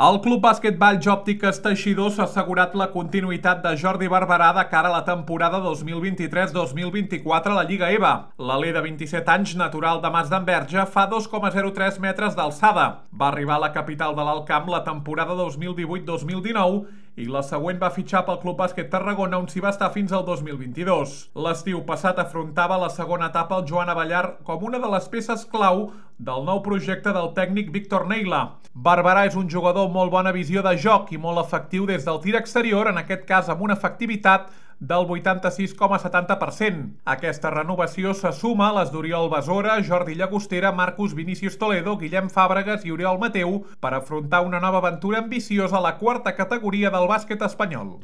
El Club Bàsquet Valls Òptiques Teixidor s'ha assegurat la continuïtat de Jordi Barberà de cara a la temporada 2023-2024 a la Lliga EVA. L'alè de 27 anys, natural de Mas d'Enverge, fa 2,03 metres d'alçada. Va arribar a la capital de l'Alt Camp la temporada 2018-2019 i la següent va fitxar pel Club Bàsquet Tarragona, on s'hi va estar fins al 2022. L'estiu passat afrontava la segona etapa el Joan Abellar com una de les peces clau del nou projecte del tècnic Víctor Neila. Barberà és un jugador amb molt bona visió de joc i molt efectiu des del tir exterior, en aquest cas amb una efectivitat del 86,70%. Aquesta renovació se suma a les d'Oriol Besora, Jordi Llagostera, Marcus Vinícius Toledo, Guillem Fàbregas i Oriol Mateu per afrontar una nova aventura ambiciosa a la quarta categoria del bàsquet espanyol.